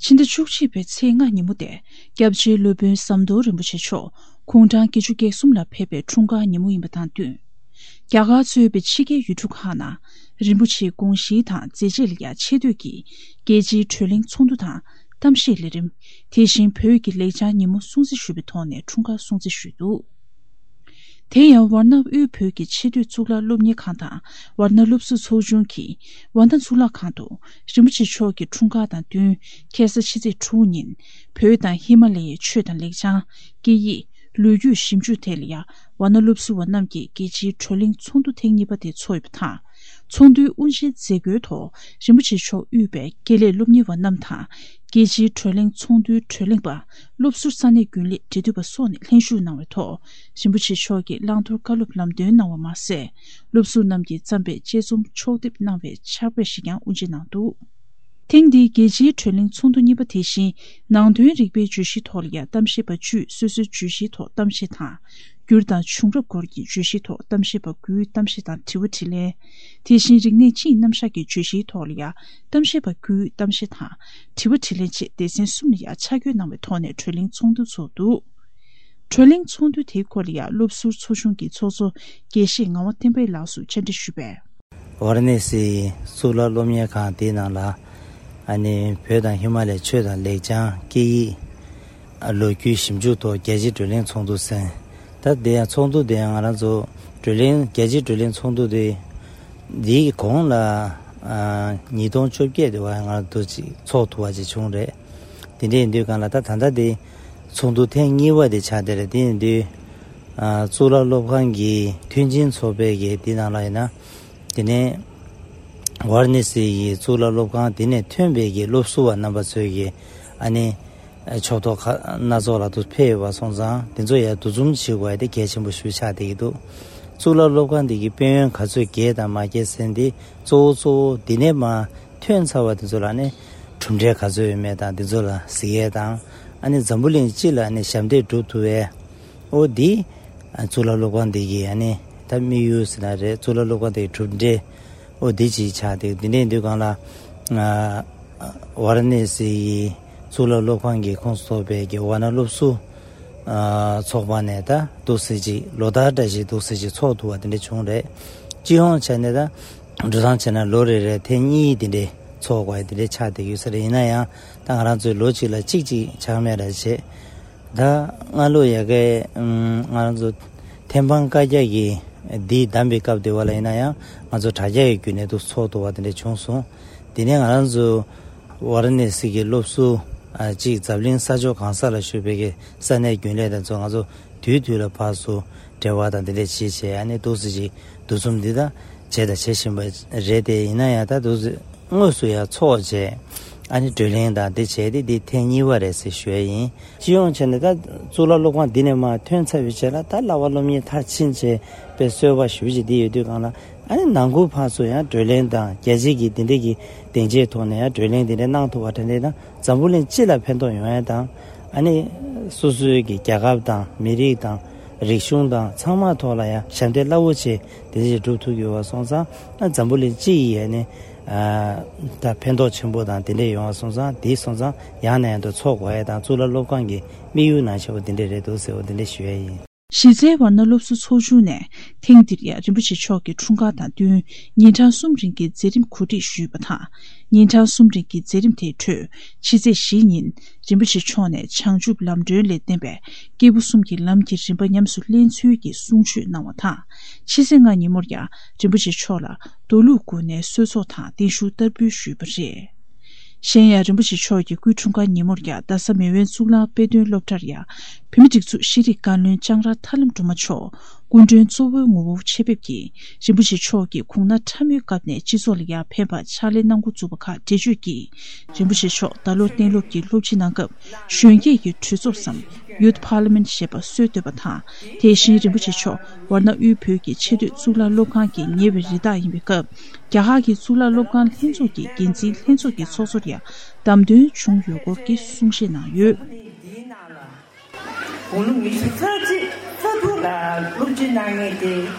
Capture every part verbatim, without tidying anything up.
ཕྱི་ཟླ་བཅུ་གཅིག་པའི་ཚེས་ལྔ་ཉིན་མོ་དེ་སྐྱབས་རྗེ་སློབ་དཔོན་ཟམ་གདོང་རིན་པོ་ཆེ་མཆོག་དགུང་གྲངས་བརྒྱད་ཅུ་གྱ་གསུམ་ལ་ཕེབས་པའི་འཁྲུངས་སྐར་ཉིན་མོ་ཡིན་པ་དང་བསྟུན། རྒྱ་གར་གཙོས་པའི་ཕྱི་རྒྱལ་ཡུལ་གྲུ་ཁག་ནང་རིན་པོ་ཆེའི་དགོངས་གཞི་དང་མཛད་རྗེས་ལ་ཡང་ཆེ་བསྟོད་ཀྱིས་རྒྱལ་སྤྱིའི་བགྲོ་གླེང་ཚོགས་འདུ་དང་གཏམ་བཤད་ལས་རིམ། དེ་བཞིན་བོད་ཀྱི་ལེགས་བྱང་ཉིན་མོ་སྲུང་བརྩི་ཞུས་པའི་ཐོག་ནས་འཁྲུངས་སྐར་སྲུང་བརྩི་ཞུས་འདུག་དེ་ཡང་ཝཱ་ཎ་དབུས་བོད་ཀྱི་ཆེས་མཐོའི་གཙུག་ལག་སློབ་གཉེར་ཁང་དང་ཝཱ་ཎ་སློབ་ཟུར་ཚོགས་ཆུང་གིས་ཝཱ་ཎ་གཙུག་ལག་ཁང་དུ་རིན་པོ་ཆེ་མཆོག་གི་འཁྲུངས་སྐར་དང་བསྟུན་ཁ་སང་ཕྱི་ཚེས་དྲུག་ཉིན་བོད་དང་ཧི་མ་ལ་ཡའི་ཆོས་དང་ལེགས་བྱང་། སྐད་ཡིག་ལོ་རྒྱུས་ཞིབ་འཇུག་ཐད་ལ་ཡང་ཝཱ་ཎ་སློབ་ཟུར་བ་རྣམས་ཀྱིས་རྒྱལ་སྤྱིའི་བགྲོ་གླེང་ཚོགས་འདུ་ཐེངས་གཉིས་པ་དེ་ཚོགས་ཡོད་པ་དང་། ཚོགས་འདུའི་དབུ་འབྱེད་མཛད་སྒོའི་ཐོག་རིན་པོ་ཆེ་མཆོག་དབུས་པའི་དགེ་ལས་སློབ་གཉེར་བ་རྣམས་དང་། རྒྱལ་སྤྱིའི་བགྲོ་གླེང་ཚོགས་འདུའི་བགྲོ་གླེང་པ། སློབ་ཟུར་ས་གནས་རྒྱུན་ལས་འབྲེལ་མཐུད་པ་སོགས་ནས་ལྷན་ཞུགས་གནང་བའི་ཐོག་རིན་པོ་ཆེ་མཆོག་གིས་བླང་དོར་བཀའ་སློབ་ལམ་སྟོན་གནང་བ་མ་ཟད། སློབ་ཟུར་རྣམས་ཀྱིས་བརྩམས་པའི་དཔྱད་རྩོམ་ཕྱོགས་བསྡེབས་གནང་བའི་ཕྱག་དཔེ་ཞིག་ཀྱང་དབུ་འབྱེད་གནང་འདུག་ཐེངས་འདིའི་རྒྱལ་སྤྱིའི་བགྲོ་གླེང་ཚོགས་འདུ་གཉིས་པ་དེ་བཞིན་ནང་དོན་རིག་པའི་བརྗོད་གཞིའི་ཐོག་ལ་ཡང་གཏམ་བཤད་པ་བཅུས་སོ་སོའི་བརྗོད་གཞིའི་ཐོག་གཏམ་བཤད་དང་། སྒྱུར་དང་བྱུང་རབས་སྐོར་གྱི་བརྗོད་གཞིའི་ཐོག་གཏམ་བཤད་པ་དགུས་གཏམ་བཤད་དང་དྲི་བ་དྲིས་ལན། དེ་བཞིན་རིག་གནས་སྤྱིའི་རྣམ་གཞག་གི་བརྗོད་གཞིའི་ཐོག་ལ་ཡང་གཏམ་བཤད་པ་དགུས་གཏམ་བཤད་དང་། དྲི་བ་དྲིས་ལན་བཅས་སྡེ་ཚན་གསུམ་ལ་ཡང་ཆ་བགོས་གནང་བའི་ཐོག་ནས་བགྲོ་གླེང་ཚོགས་འདུ་ཚོགས་འདུག་བགྲོ་གླེང་ཚོགས་འདུ་དེའི་སྐོར་ལ་ཡང་སློབ་ཟུར་ཚོགས་ཆུང་གི་ཚོགས་གཙོ་དགེ་བཤེས་ངག་དབང་བསྟན་འཕེལ་ལགས་སུ་བཅར་འདྲི་ཞུས་པས། ཝཱ་ར་ཎ་སིའི་གཙུག་ལག་སློབ་གཉེར་ཁང་དེའི་ནང་ལ་ཨ་ནི་བོད་དང་ཧི་མ་ལའི་ཆོས་དང་ལེགས་བྱང་སྐད་ཡིག་ལོ་རྒྱུས་ཞིབ་འཇུག་ཐོག་རྒྱལ་སྤྱིའི་བགྲོ་གླེང་ཚོགས་འདུ་ཟེར། ད་དེ་ཡང་ཚོགས་འདུ་དེ་ཡང་ང་རང་ཚོ་བགྲོ་གླེང་རྒྱལ་སྤྱིའི་བགྲོ་གླེང་ཚོགས་འདུ་དེ་འདིའི་གོང་ལ་ཨ་ཉིས་སྟོང་བཅོ་བརྒྱད་དེ་བ་ང་རང་ཚོ་ཅིག་ཚོགས་ཐུབ་པ་ཅིག་བྱུང་རེད། དེ་འདྲ་ཡིན་དུས་གང་ལ་ད་ད་ལྟ་དེ་ཚོགས་འདུ་ཐེངས་གཉིས་པ་དེ་ཆགས་བསྡད་རེད། དེ་ཡིན་དུས་ཨ་གཙུག་ལག་སློབ་ཁང་གི་མཐུན་རྐྱེན་ཚོགས་པའི་གི་དེ་ནང་ལ་ཡིན་ན། དེ་ནས་ཝཱ་ར་ཎ་སི་ཡི་གཙུག་ལག་སློབ་ཁང་དེ་ནས་ཐོན་པའི་གི་སློབ་ཟུར་བ་རྣམ་པ་ཚོས་གི་ཨ་ནི་ཕྱོགས་གཏོགས་ཁག་སྣ་ཚོགས་ལ་དུ་ཕེབས་ཡོད་པ་སོང་ཙང་དེ་ཚོ་ཡང་འདུ་འཛོམས་བྱེད་དགོས་ཡ་དེ་གལ་ཆེན་པོ་ཞིག་ཆགས་བསྡད་ཀྱི་འདུག་གཙུག་ལག་སློབ་ཁང་དེ་གི་དཔལ་ཡོན་ག་ཚོད་རྒྱས་དང་མ་རྒྱས་ཟེར་འདི་གཙོ་བོ་གཙོ་བོ་འདི་ནས་མ་ཐོན་ཚར་བ་དེ་ཚོ་ལ་ནི་གྲུབ་འབྲས་ག་ཚོད་ཡོད་མེད་དང་དེ་ཚོ་ལ་གཟིགས་ཡས་དང་། ཨ་ནི་འཛམ་བུ་གླིང་སྤྱི་ལ་ནི་ཞབས་འདེགས་སྒྲུབ་ཐུབ་པའི་ཨོ་འདི་གཙུག་ལག་སློབ་ཁང་འདི་གི་ཨ་ནི་ད་དམིགས་ཡུལ་ཟེར་ན་རེད། གཙུག་ལག་སློབ་ཁང་འདི་གི་གྲུབ་འབྲས་ཨོ་འདི་ཅིག་ཆགས་ཏེ་འདི་འདྲའི་དུས་སྒང་ལ་ཝཱ་ར་ཎ་སི་ཡི་གཙུག་ལག་སློབ་ཁང་གི་ཁོངས་སུ་གཏོགས་པའི་གི་ཝཱ་ཎ་སློབ་ཟུར་ཚོགས་པ་ནས་ད་འདུག་སེ་ཅིག་ལོ་ལྟར་འདྲ་ཞིག་འདུག་སེ་ཅིག་ཚོགས་ཐུབ་པ་དེ་འདྲ་བྱུང་རེད། སྤྱི་ཡོངས་བྱས་ནས་ད་འགྲོ་སྟངས་བྱས་ན་ལོ་རེ་རེ་ཐེངས་གཉིས་དེ་འདྲའི་ཚོགས་དགོས་དེ་འདྲའི་ཆགས་བསྡད་ཡོད་ས་རེད། ཡིན་ན་ཡང་ད་ང་རང་ཚོའི་ལོ་གཅིག་ལ་གཅིག་ཅིག་ཆགས་མེད་ར་བྱས། ད་སྔ་ལོ་ཡ་གའི་ང་རང་ཚོ་ཐེམ་སྤང་བཀའ་རྒྱ་གི་འདི་བདམས་པའི་སྐབས་དེ་བ་ལ་ཡིན་ན་ཡང་ང་ཚོ་དྲ་རྒྱ་གི་བརྒྱུད་ནས་འདུག་ཚོགས་ཐུབ་པ་དེ་འདྲ་བྱུང་སོང་། དེ་ནས་ང་རང་ཚོ་ཝཱ་ར་ཎ་སི་གི་སློབ་ཟུར་གཅིག་འཛམ་གླིང་ས་ཕྱོགས་གང་ས་ལ་བཞུགས་པའི་གི་ས་གནས་རྒྱུན་ལས་དང་ཚོ་ང་ཚོ་དུས་དུས་ལ་ཕར་ཚུར་འབྲེལ་བ་དང་དེ་འདྲ་བྱེད་བྱས་ཨ་ནི་འདུག་སེ་ཅིག་འདུ་འཛོམས་འདི་དང་བྱས་དང་བྱེད་བཞིན་པ་རེད་དེ། ཡིན་ན་ཡང་ད་འདུག་སེ་དངོས་སུ་ཡང་ཚོགས་བྱས་ཨ་ནི་བགྲོ་གླེང་དང་དེ་བྱས་ཏེ་འདི་ཐེངས་གཉིས་པ་རེད་ཟེར་ཞུ་ཡ་ཡིན། སྤྱི་ཡོངས་བྱས་ནས་ད་གཙུག་ལག་སློབ་ཁང་འདི་ནས་མར་ཐོན་ཚར་བའི་རྗེས་ལ་ད་བསླབ་པ་སློབ་གཉེར་མཐར་ཕྱིན་བྱས་པའི་གསོལ་བ་ཞུ་བྱེད་འདི་ཡོད་དུས་སྒང་ལ་ཨ་ནི་ནང་ཁུལ་ཕར་ཚུར་ཡང་བགྲོ་གླེང་དང་རྒྱལ་སྤྱི་གི་འདི་འདྲས་ཀྱི་སྡིངས་ཆའི་ཐོག་ནས་ཡང་བགྲོ་གླེང་འདི་འདྲས་གནང་ཐུབ་པ་དེ་འདྲས་དང་འཛམ་བུ་གླིང་སྤྱི་ལ་ཕན་ཐོགས་ཡོང་ཡ་དང་། ཨ་ནི་སོ་སོའི་གི་རྒྱལ་ཁབ་དང་མི་རིགས་དང་རིག་གཞུང་དང་ཚང་མ་ཐོག་ལ་ཡང་ཞབས་འདེགས་རླབས་པོ་ཆེ་དེ་འདྲས་སྒྲུབ་ཐུབ་ཡོད་པ་སོང་ཙང་ཨ་འཛམ་བུ་གླིང་སྤྱི་ཡི་ཨ་ནི་ཨ་ད་ཕན་ཐོགས་ཆེན་པོ་དང་དེ་འདྲས་ཡོང་བ་སོང་ཙང་དེ་སོང་ཙང་ཡང་ནས་ཡང་དུ་ཚོགས་དགོས་ཡ་དང་གཙུག་ལག་སློབ་ཁང་གི་དམིགས་ཡུལ་ནང་བཞིན་པ་དེ་འདྲས་རེད་འདུག་ཟེར་བ་དེ་འདྲས་ཞུ་ཡ་ཡིན། གཞི་རྩའི་ཝཱ་ཎ་སློབ་ཟུར་ཚོགས་ཆུང་ནས་ཐེངས་འདིར་ཡང་རིན་པོ་ཆེ་མཆོག་གི་འཁྲུངས་སྐར་དང་བསྟུན་ཉིན་གྲངས་གསུམ་རིང་གི་མཛད་རིམ་གོ་སྒྲིག་ཞུས་པ་དང་། ཉིན་གྲངས་གསུམ་རིང་གི་མཛད་རིམ་དེའི་ཁྲོད་ཕྱི་ཚེས་བཞི་ཉིན་རིན་པོ་ཆེ་མཆོག་ནས་བྱང་ཆུབ་ལམ་སྒྲོན་ལས་བསྟན་པའི་སྐྱེས་བུ་གསུམ་གྱི་ལམ་གྱི་རིམ་པ་ཉམས་སུ་ལེན་ཚུལ་གྱི་གསུང་ཆོས་གནང་བ་དང་། ཕྱི་ཚེས་ལྔ་ཉིན་མོར་ཡང་རིན་པོ་ཆེ་མཆོག་ལ་རྡོ་ལུག་དགུ་ནས་གསོལ་ཚོགས་དང་བརྟན་བཞུགས་བསྟར་འབུལ་ཞུས་པ་རེད། གཞན་ཡང་རིན་པོ་ཆེ་མཆོག་གི་སྐུའི་འཁྲུངས་སྐར་ཉིན་མོར་ཡང་རྡ་ས་མེས་དབོན་གཙུག་ལག་དཔེ་སྟོན་སློབ་གྲྭར་ཡང་བོད་མིའི་སྒྲིག་འཛུགས་ཤེས་རིག་བཀའ་བློན་ལྕང་ར་ཐར་ལམ་སྒྲོལ་མ་མཆོག་སྐུ་མགྲོན་གཙོ་བོའི་ངོ་བོར་ཆེད་ཕེབས་ཀྱིས་རིན་པོ་ཆེ་མཆོག་གི་དགུང་ན་ཕྲ་མོའི་སྐབས་ནས་སྤྱི་ཚོགས་ལ་ཡང་ཕན་པར་ཕྱག་ལས་གནང་འགོ་བཙུགས་པ་ཁག་འགྲེལ་བརྗོད་ཀྱིས། རིན་པོ་ཆེ་མཆོག་ད་ལོ་གཏན་སློབ་ཀྱི་སློབ་སྤྱི་གནང་སྐབས་གཞོན་སྐྱེས་ཀྱི་གྲོས་ཚོགས་སམ་Youth Parliament ཞེས་པ་སྲོལ་བཏོད་པ་དང་། དེ་བཞིན་རིན་པོ་ཆེ་མཆོག་ཝཱ་ཎ་དབུས་བོད་ཀྱི་ཆེས་མཐོའི་གཙུག་ལག་སློབ་ཁང་གི་ཉེ་བའི་རི་དྭགས་ཡིན་པའི་སྐབས། རྒྱ་གར་གྱི་གཙུག་ལག་སློབ་ཁང་ལྷན་ཚོགས་ཀྱི་འགན་འཛིན་ལྷན་ཚོགས་ཀྱི་ཚོགས་གཙོར་ཡང་བདམས་ཐོན་བྱུང་ཡོད་སྐོར་གྱི་གསུང་བཤད་གནང་ཡོད། དགུང་ལོ་ཉི་ཤུ་རྩ་གཅིག་རྩ་དྲུག་ལ་སློབ་སྤྱི་གནང་མཁན་དེ་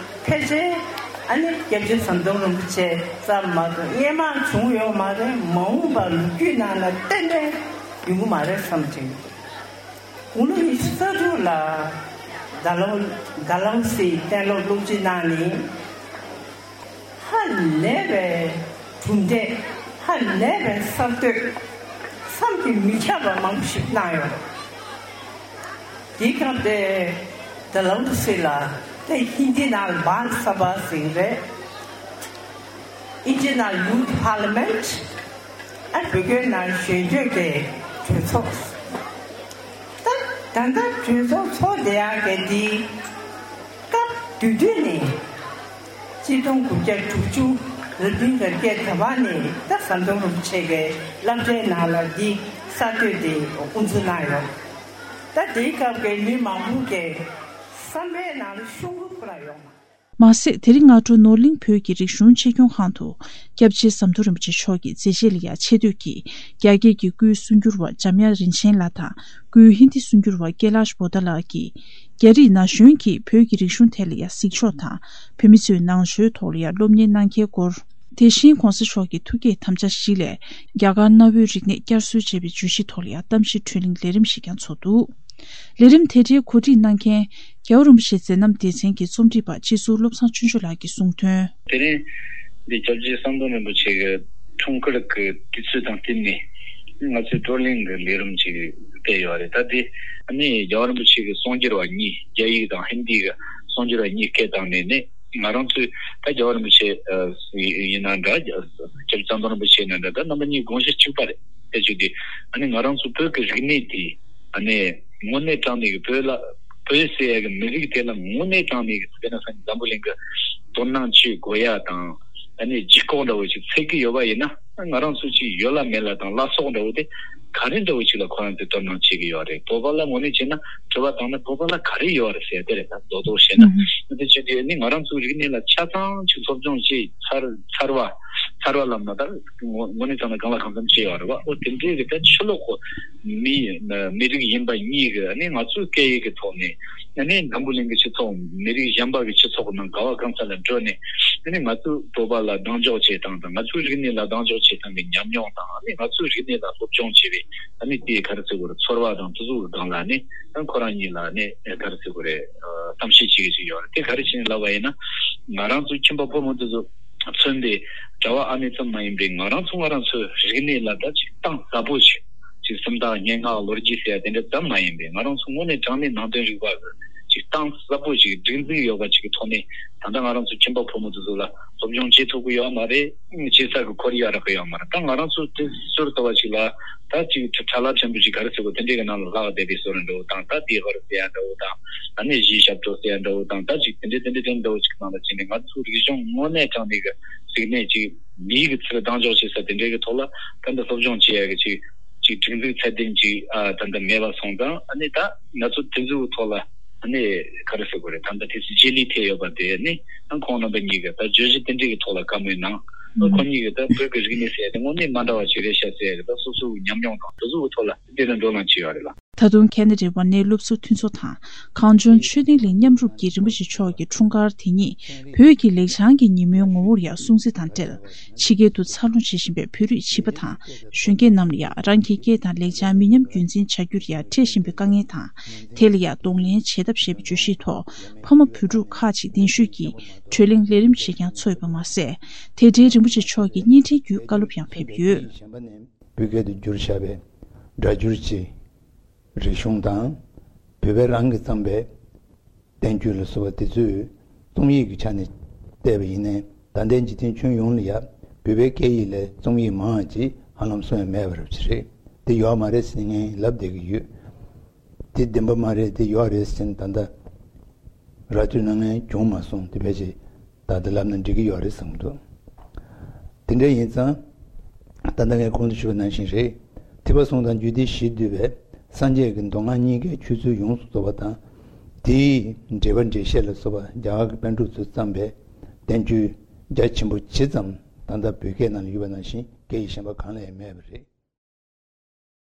ཕལ་ཆེར་ཨ་ནི་སྐྱབས་རྗེ་ཟམ་གདོང་རིན་པོ་ཆེ་ཙམ་མ་གཏོགས་སྔོན་མ་བྱུང་ཡོད་མ་རེད། མ་འོངས་པར་ལོ་རྒྱུས་ནང་ལ་གཏན་གཏན་ ཡོང་གི་མ་རེད་བསམ་དྲན། དགུང་ལོ་ཉི་ཤུ་རྩ་དྲུག་ལ་ཌལ་ཧོ་ཌལ་ཧོ་སིའི་གཏན་སློབ་སློབ་ཁྲིད་གནང་ནས། ཧ་ལས་པའི་གྲུབ་འབྲས། ཧ་ལས་པའི་གསར་གཏོད། བསམ་གྱིས་མི་ཁྱབ་པ་མང་པོ་ཞིག་གནང་ཡོད། དེའི་སྐབས་དེ་ཌལ་ཧོ་སི་ལ་དེ་ཧིན་དི་ནང་ལ་བཱལ་སབ་བྷ་ཟེར་གྱི་རེད། Indian Youth Parliament། ཨ་བོད་སྐད་ནང་གཞོན་སྐྱེས་ཀྱི་གྲོས་ཚོགས། ད་ད་ལྟ་གྲོས་ཚོགས་ཚོགས་བསྡད་ཡག་གི་འདི་སྐབས་དེ་དུས་ནས་གཅིག་སྟོང་དགུ་བརྒྱ་དྲུག་ཅུ་ལ་དུས་འགར་སྐད་ད་བ་ནས་ད་ཟམ་གདོང་རིན་པོ་ཆེ་གི་སློབ་གྲྭའི་ནང་ལ་འདི་གསར་གཏོད་དེ་དབུ་འཛུགས་གནང་ཡོད། ད་དེའི་སྐབས་ཀྱི་མི་མང་པོ་གི་བསམ་པའི་ནང་ལ་ཤོང་གི་ཁོ་རང་ཡོད་མ། མ་ཟད། དེ་རིང་སྔ་དྲོ་ནོར་གླིང་བོད་ཀྱི་རིག་གཞུང་ཆེད་སྐྱོང་ཁང་དུ་སྐྱབས་རྗེ་ཟམ་གདོང་རིན་པོ་ཆེ་མཆོག་གི་མཛད་རྗེས་ལ་ཡང་ཆེ་བསྟོད་ཀྱིས་རྒྱ་སྐད་ཀྱི་སྐུའི་གསུང་སྒྱུར་བ་འཇམ་དབྱངས་རིན་ཆེན་ལགས་དང་། སྐུའི་ཧིན་དི་གསུང་སྒྱུར་བ་ཀེ་ལཱཤ་བྷོ་ཏ་ལགས་ཀྱིས་རྒྱ་རིགས་ན་གཞོན་གྱིས་བོད་ཀྱི་རིག་གཞུང་ཐད་ལ་ཡང་གཟིགས་ཕྱོགས་དང་། བོད་མི་ཚོས་ནང་ཆོས་ཐོག་ལ་ཡང་སློབ་གཉེར་གནང་གལ་སྐོར། དེ་བཞིན་གོང་ས་མཆོག་གི་ཐུགས་བསྐྱེད་དམ་བཅའ་བཞི་ལས་རྒྱ་གར་གནའ་བོའི་རིག་གནས་བསྐྱར་གསོ་བྱེད་པའི་བརྗོད་གཞི་ཐོག་ལ་ཡང་གཏམ་བཤད་གྲོས་གླེང་ལས་རིམ་ཞིག་ཀྱང་ཚོགས་འདུག་ལས་རིམ་དེ་འདྲའི་གོ་སྒྲིག་གནང་མཁན་རྒྱལ་བ་རིན་པོ་ཆེའི་མཛད་རྣམ་སྡེ་ཚན་གྱི་རྩོམ་སྒྲིག་པ་སྤྱི་ཟུར་བློ་བཟང་ཆོས་འབྱོར་ལགས་ཀྱིས་གསུངས་དོན། དེ་རིང་འདི་སྐྱབས་རྗེ་ཟམ་གདོང་རིན་པོ་ཆེ་གི་འཁྲུངས་སྐར་གྱི་དུས་ཚོད་དང་བསྟུན་ནས་ང་ཚོས་བགྲོ་གླེང་གི་ལས་རིམ་ཅིག་སྤེལ་ཡོད་རེད། ད་དེ་ནི་རྒྱལ་བ་རིན་པོ་ཆེ་གི་གསུང་སྒྱུར་བ་གཉིས། རྒྱ་ཡིག་དང་ཧིན་དི་གི་གསུང་སྒྱུར་བ་གཉིས་སྐད་བཏང་ནས་ནི། ང་རང་ཚོས་ད་རྒྱལ་བ་རིན་པོ་ཆེ་ཨ་ཡིན་ན་འདྲ། སྐྱབས་རྗེ་ཟམ་གདོང་རིན་པོ་ཆེ་ཡིན་ན་འདྲ། ད་རྣམ་པ་གཉིས་དགོངས་གཞི་གཅིག་པ་རེད། དེ་བྱས་ཏེ་ཨ་ནི་ང་རང་ཚོ་བོད་ཀྱི་རིག་གནས་དེ་ཨ་ནི་དངོས་གནས་དྲང་གནས་ཀྱི་བོད་ལ་བོད་ཟེར་ཡ་གི་མི་རིགས་དེ་ལ་དངོས་གནས་དྲང་གནས་ཀྱི་དཔེར་ན་ས་འཛམ་བུ་གླིང་གི་དོ་སྣང་བྱེད་དགོས་ཡ་དང་། ཨ་ནི་ལྗིད་ཁོག་འདྲ་བོ་ཞིག་འཚོལ་གྱི་ཡོད་པ་ཡིན་ན། ང་རང་ཚོ་ཅིག་ཡོད་ལ་མེད་ལ་དང་བླ་སྲོག་འདྲ་བོ་དེ་ག་རེ་འདྲ་བོ་ཅིག་ལ་ཁོ་རང་ཚོས་དོ་སྣང་བྱེད་ཀྱི་ཡོད་རེད། བོད་པ་ལ་དངོས་གནས་བྱས་ན་དྲི་བ་བཏང་ན་བོད་པ་ལ་ག་རེ་ཡོད་རེད་ཟེར་དེ་རེད། ད་རྡོག་རྡོག་བཤད་ན། ཨུ་ཧུམ། དེ་བྱས་དུས་ནི་ང་རང་ཚོའི་རིག་གནས་ལ་ཆ་ཚང་ཅིག་སློབ་སྦྱོང་བྱས་ཚར་ཚར་བ་ཚར་བ་ལབ་ན་ད་དངོས་དངོས་གནས་ཚང་ན་གང་ལ་གང་འཚམ་བྱས་ཡོད་རེད་བ། ཨོ་དེ་འདྲའི་གི་ད་ཕྱི་ལོགས་གི་མི་མི་རིགས་ཡིན་པ་གཉིས་གི་ནི་ང་ཚོའི་སྐད་ཡིག་གི་ཐོག་ནས་ནི་འཛམ་བུ་གླིང་གི་སྤྱི་ཚོགས་མི་རིགས་གཞན་པ་གི་སྤྱི་ཚོགས་ནང་ག་བ་གང་ས་ལ་འགྲོ་ནས། ཨ་ནི་ང་ཚོའི་བོད་པ་ལ་གདེང་འཇོག་བྱེད་སྟངས་དང་། ང་ཚོའི་རིག་གནས་ལ་གདེང་འཇོག་བྱེད་སྟངས་ཀྱི་ཉམས་མྱོང་དང་། ཨ་ནི་ང་ཚོའི་རིག་གནས་ལ་སློབ་སྦྱོང་བྱེད་པའི་ཨ་ནི་དེའི་ག་རེ་ཟེར་དགོས་རེད། ཚོར་བ་དང་དེ་ཚོ་གི་སྒང་ལ་ནི་ཨ་ཁོ་རང་གཉིས་ལ་ནི་ག་རེ་ཟེར་དགོས་རེད། གཏམ་བཤད་བྱེད་ཀྱི་ཞིག་ཡོད་རེད། དེ་ག་རེ་བྱས་ནས་ལབ་པ་ཡིན་ན། ང་རང་ཚོའི་ཁྱིམ་པ་ཕོ་མོ་དེ་ཚོ་མཚོན་པའི་གྲྭ་བ་ཨ་མའི་ཙམ་མ་ཡིན་པའི་ང་རང་ཚོ་ང་རང་ཚོའི་རིག་གནས་ལ་ད་ཅིག་གདེང་ཟབ་པོ་ཞིག་ཅིག་སུམ་རྟགས་སྙན་ངག་ལོ་རྒྱུས་ཟེར་ཡ་དེ་འདྲ་ཙམ་མ་ཡིན་པའི་ང་རང་ཚོ་དངོས་གནས་དྲང་གནས་ནང་དོན་རིག་པ་གི་ཅིག་གདེང་ཟབ་པོ་ཅིག་སྒྲིག་འཛུགས་ཡོད་པ་ཅིག་གི་ཐོག་ནས་ད་ལྟ་ང་རང་ཚོ་ཁྱིམ་པ་ཕོ་མོ་དེ་ཚོ་ལ་སློབ་སྦྱོང་བྱེད་ཐུབ་ཀྱི་ཡོད་མ་རེད། བྱེད་ས་གི་ཁོར་ཡུག་རག་གི་ཡོད་མ་རེད། ད་ང་རང་ཚོ་དེ་ཟུར་ལྟ་བ་ཅིག་ལ་ད་ཅིག་ཁྲ་ལ་ཕྲན་བུ་ཅིག་ག་རེ་ཟེར་དགོས། དེ་འདྲའི་གི་ནང་ལ་ལྷག་བསྡད་པའི་བཟོ་འདྲ་བོ་དང་། ད་དེའི་ཧོར་ཟེར་ཡ་འདྲ་བོ་དང་། ད་ནི་གཞིས་ཞབས་བྲོ་ཟེར་ཡ་འདྲ་བོ་དང་། ད་ཅིག་དེ་འདྲའི་དེ་འདྲའི་དེ་འདྲ་བོ་ཅིག་ནང་ལ་ཕྱིན་ནས་ང་ཚོའི་རིག་གཞུང་དངོས་གནས་དྲང་གནས་གི་རིག་གནས་ཅིག་མིའི་གི་ཚུལ་གདེང་འཇོག་བྱེད་ས་དེ་འདྲའི་གི་ཐོག་ལ་ད་ལྟ་སློབ་སྦྱོང་བྱེད་ཡ་གི་ཅིག་ཅིག་སྒྲིག་འཛུགས་ཚད་ལྡན་ཅིག་ཨ་ད་ལྟ་མེད་པ་སོང་ཙང་། ཨ་ནི་ད་ང་ཚོ་དེ་ཚོའི་ཐོག་ལ་ཨ་ནི་ག་རེ་ཟེར་དགོས་རེད། ད་ལྟ་དེ་ཚོ་རྗེས་ལུས་ཐེབས་ཡོད་པ་དེ་ནི་ཨ་ཁོང་རྣམ་པ་གཉིས་ཀྱིས་ད་བརྗོད་གཞི་དེ་འདྲའི་གི་ཐོག་ལ་བཀའ་མོལ་གནང་། ཨ་ཁོང་གཉིས་ཀྱིས་ད་བོད་ཀྱི་རིག་གནས་ཟེར་ཡ་དེ་དངོས་གནས་མ་འདྲ་བ་ཞིག་རེད་ཤག་ཟེར་ཡ་གི་ད་སོ་སོའི་ཉམས་མྱོང་དང་དེ་ཚོའི་ཐོག་ལ་དེ་ལ་བགྲོ་གླེང་བྱས་ཡོད་རེད་ལ། ད་དུང་ཁེ་ན་ཌའི་ཝ་ནའི་སློབ་ཟུར་མཐུན་ཚོགས་དང་གངས་ལྗོངས་ཆོས་ལྡན་གླིང་མཉམ་རུབ་ཀྱིས་རིན་པོ་ཆེ་མཆོག་གི་འཁྲུངས་སྐར་དེ་ཉིད་བོད་ཀྱི་ལེགས་བྱང་གི་ཉིན་མོའི་ངོ་བོར་ཡང་སྲུང་བརྩི་དང་འབྲེལ། ཕྱི་རྒྱལ་དུ་འཚར་ལོངས་བྱེད་བཞིན་པའི་བོད་རིགས་བྱིས་པ་དང་གཞོན་སྐྱེས་རྣམས་ལ་ཡང་རང་གི་སྐད་དང་ལེགས་བྱང་མི་ཉམས་རྒྱུན་འཛིན་བྱ་རྒྱུར་ཡང་འཕྲད་བཞིན་པའི་དཀའ་ངལ་དང་། དེ་ལ་ཡང་གདོང་ལེན་བྱེད་ཐབས་ཞེས་པའི་བརྗོད་གཞིའི་ཐོག་ཕ་མ་བུ་ཕྲུག་ཁག་ཅིག་གདན་ཞུས་ཀྱིས་བགྲོ་གླེང་ལས་རིམ་ཞིག་ཀྱང་ཚོགས་ཡོད་པ་མ་ཟད། དེ་འབྲེལ་རིན་པོ་ཆེ་མཆོག་གི་བརྙན་འཕྲིན་བརྒྱུད་བཀའ་སློབ་ཡང་ཕེབས་ཡོད། བོད་སྐད་དུ་བསྒྱུར་བཞག་པའི་སྒྲ་སྒྱུར་གྱི་རིག་གཞུང་དང་། བོད་པས་རང་གིས་བརྩམས་པའི་བསྟན་བཅོས་ལ་སོགས་པ་དེ་ཚོས་རྩོམ་ཡིག་གི་ཆ་ནས་བལྟས་པ་ཡིན་ནའི། ད་ལྟའི་འཇིག་རྟེན་ཁྱོན་ཡོངས་ལ་ཡང་བོད་པའི་སྐད་ཡིག་ལས་རྩོམ་ཡིག་མང་བ་ཅིག་ཧ་ལམ་གསུང་ཡ་མེད་པ་རབ་ཅིག་རེད། དེ་ཡོད་མ་རེད་ཟེར་ངས་ལབ་བསྡད་ཀྱི་ཡོད། དེ་བདེན་པ་མ་རེད། དེ་ཡོད་རེད་ཟེར་ནས་ད་ལྟ་ར་སྤྲོད་གནང་མཁན་བྱུང་མ་སོང་། དེ་ཕལ་ཆེར་ད་ལྟ་ལབ་ན་འགྲིག་གི་ཡོད་རེད་བསམ་གྱི་འདུག་དེ་འདྲ་ཡིན་ཙང་། ད་ལྟ་ངས་གོང་དུ་ཞུས་པ་ནང་བཞིན་རེད། ཐེག་པ་གསུམ་དང་རྒྱུད་སྡེ་བཞིས་བསྡུས་པའི་སངས་རྒྱས་ཀྱི་མདོ་སྔགས་གཉིས་ཀའི་ཆོས་ཚུལ་ཡོངས་སུ་རྫོགས་པ་དང་། དེའི་འགྲེལ་པ་འགྲེལ་བཤད་ལ་སོགས་པ་རྒྱ་གར་གྱི་པཎ་གྲུབ་ཚོས་བརྩམས་པའི་བསྟན་བཅོས་རྒྱ་ཆེན་པོ་ཇི་ཙམ་ད་ལྟ་བོད་སྐད་ནང་ལ་ཡོད་པ་ནང་བཞིན་སྐད་ཡིག་གཞན་པ་གང་ལ་ཡང་མེད་པ་རེད།